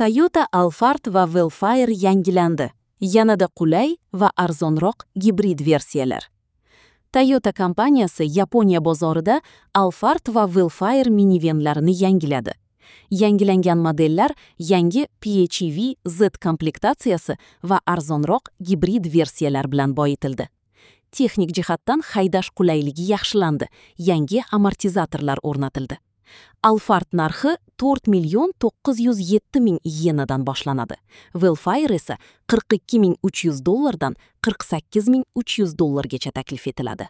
Toyota Alphard va Vellfire yangilandi. Yanada qulay va arzonroq gibrid versiyalar. Toyota kompaniyasi Yaponiya bozorida Alphard va Vellfire minivenlarini yangiladi. Yangilangan modellar yangi PHEV Z komplektatsiyasi va arzonroq gibrid versiyalar bilan boyitildi. Texnik jihatdan haydash qulayligi yaxshilandi, yangi amortizatorlar o'rnatildi. Alphard narxi 4 907 ming iyenadan boshlanadi. Vellfire esa 42 300 dollardan 48 300 dollargacha taklif etiladi.